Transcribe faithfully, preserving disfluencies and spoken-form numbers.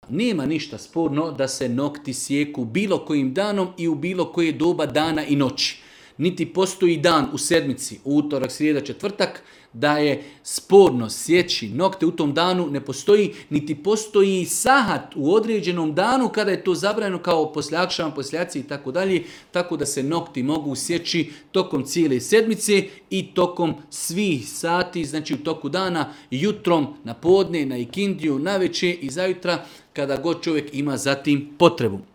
Nema ništa sporno da se nokti sjeku bilo kojim danom i u bilo koje doba dana i noći. Niti postoji dan u sedmici, utorak, srijeda, četvrtak, da je sporno sjeći nokte u tom danu, ne postoji, niti postoji sahat u određenom danu kada je to zabranjeno kao poslije akšama, poslije jacije i tako dalje, tako da se nokti mogu sjeći tokom cijele sedmice i tokom svih sati, znači u toku dana, jutrom, na podne, na ikindiju, na večer i zajutra, kada god čovjek ima za tim potrebu.